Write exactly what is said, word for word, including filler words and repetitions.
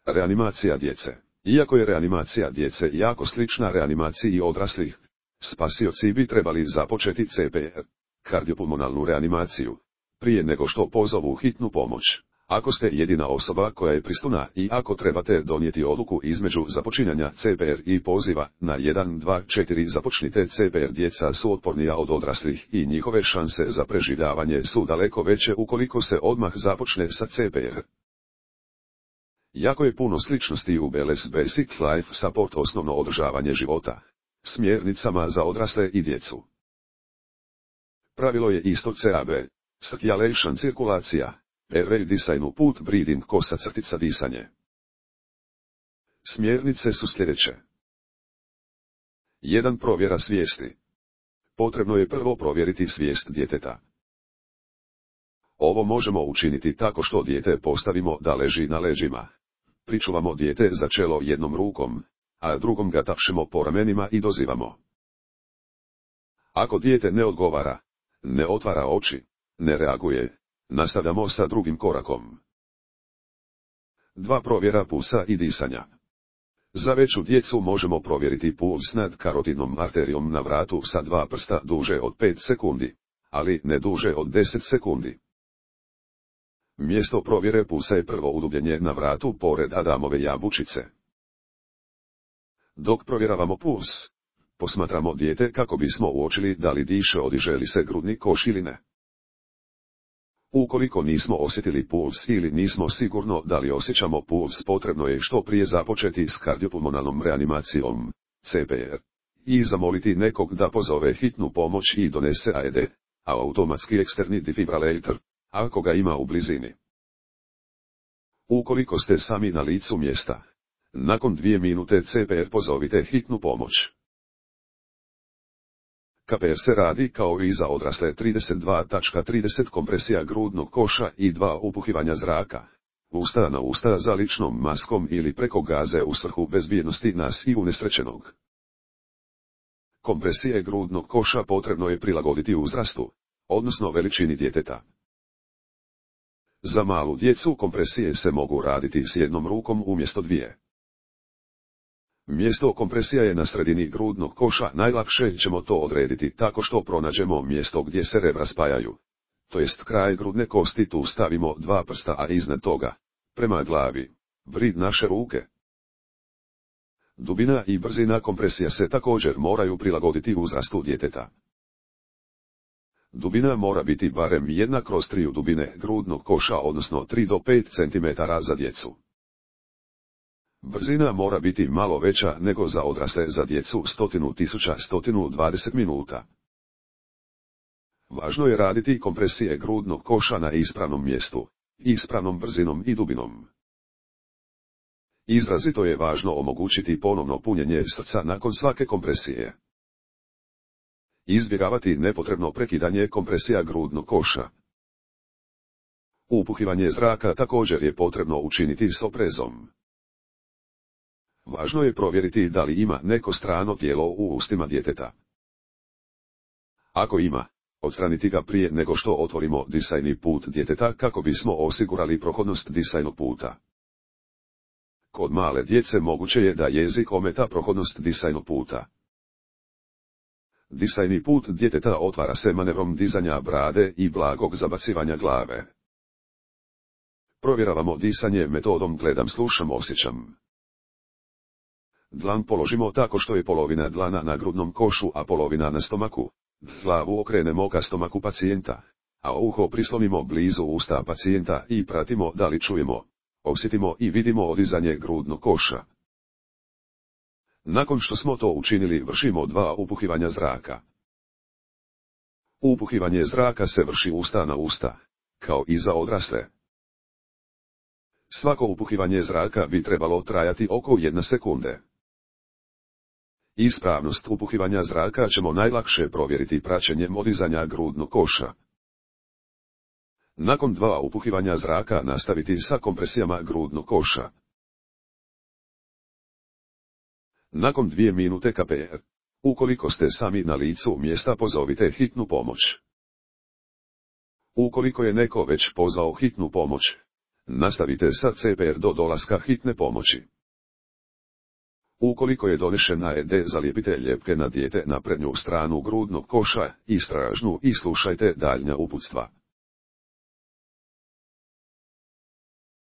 Reanimacija djece. Iako je reanimacija djece jako slična reanimaciji odraslih, spasioci bi trebali započeti C P R, kardiopulmonalnu reanimaciju, prije nego što pozovu hitnu pomoć. Ako ste jedina osoba koja je prisutna i ako trebate donijeti odluku između započinjanja C P R i poziva na jedan dva četiri započnite C P R, djeca su otpornija od odraslih i njihove šanse za preživljavanje su daleko veće ukoliko se odmah započne sa C P R. Jako je puno sličnosti u B L S Basic Life Support osnovno održavanje života, smjernicama za odrasle i djecu. Pravilo je isto C A B, circulation cirkulacija, airway disajnu put breathing kosa crtica disanje. Smjernice su sljedeće. jedan Provjera svijesti. Potrebno je prvo provjeriti svijest djeteta. Ovo možemo učiniti tako što dijete postavimo da leži na leđima. Pričuvamo dijete za čelo jednom rukom, a drugom ga tapšemo po ramenima i dozivamo. Ako dijete ne odgovara, ne otvara oči, ne reaguje, nastavljamo sa drugim korakom. dva Provjera pulsa i disanja. Za veću djecu možemo provjeriti puls nad karotidnom arterijom na vratu sa dva prsta duže od pet sekundi, ali ne duže od deset sekundi. Mjesto provjere pulsa je prvo udubljenje na vratu pored Adamove jabučice. Dok provjeravamo puls, posmatramo dijete kako bismo uočili da li diše, odiže li se grudni koš ili ne. Ukoliko nismo osjetili puls ili nismo sigurno da li osjećamo puls, potrebno je što prije započeti s kardiopulmonalnom reanimacijom, C P R, i zamoliti nekog da pozove hitnu pomoć i donese A E D, automatski eksterni defibrilator, ako ga ima u blizini. Ukoliko ste sami na licu mjesta, nakon dvije minute C P R pozovite hitnu pomoć. K P R se radi kao i za odrasle trideset dva trideset kompresija grudnog koša i dva upuhivanja zraka, usta na usta za ličnom maskom ili preko gaze u svrhu bezbjednosti nas i unesrećenog. Kompresije grudnog koša potrebno je prilagoditi uzrastu, odnosno veličini djeteta. Za malu djecu kompresije se mogu raditi s jednom rukom umjesto dvije. Mjesto kompresija je na sredini grudnog koša, najlakše ćemo to odrediti tako što pronađemo mjesto gdje se rebra spajaju, to jest kraj grudne kosti, tu stavimo dva prsta, a iznad toga, prema glavi, vrid naše ruke. Dubina i brzina kompresija se također moraju prilagoditi uzrastu djeteta. Dubina mora biti barem jedna kroz tri dubine grudnog koša, odnosno tri do pet centimetara za djecu. Brzina mora biti malo veća nego za odrasle, za djecu sto tisuća sto dvadeset minuta. Važno je raditi kompresije grudnog koša na ispravnom mjestu, ispravnom brzinom i dubinom. Izrazito je važno omogućiti ponovno punjenje srca nakon svake kompresije. Izbjegavati nepotrebno prekidanje kompresija grudnog koša. Upuhivanje zraka također je potrebno učiniti s oprezom. Važno je provjeriti da li ima neko strano tijelo u ustima djeteta. Ako ima, odstraniti ga prije nego što otvorimo disajni put djeteta kako bismo osigurali prohodnost disajnog puta. Kod male djece moguće je da jezik ometa prohodnost disajnog puta. Disajni put djeteta otvara se manevrom dizanja brade i blagog zabacivanja glave. Provjeravamo disanje metodom gledam, slušam, osjećam. Dlan položimo tako što je polovina dlana na grudnom košu, a polovina na stomaku. Glavu okrenemo ka stomaku pacijenta, a uho prislonimo blizu usta pacijenta i pratimo da li čujemo, osjetimo i vidimo odizanje grudnog koša. Nakon što smo to učinili, vršimo dva upuhivanja zraka. Upuhivanje zraka se vrši usta na usta, kao i za odrasle. Svako upuhivanje zraka bi trebalo trajati oko jedne sekunde. Ispravnost upuhivanja zraka ćemo najlakše provjeriti praćenjem odizanja grudnog koša. Nakon dva upuhivanja zraka nastaviti sa kompresijama grudnog koša. Nakon dvije minute K P R. Ukoliko ste sami na licu mjesta, pozovite hitnu pomoć. Ukoliko je neko već pozvao hitnu pomoć, Nastavite sa C P R do dolaska hitne pomoći. Ukoliko je donešena E D, zalijepite ljepke na dijete na prednju stranu grudnog koša, istražnu i slušajte daljnja uputstva.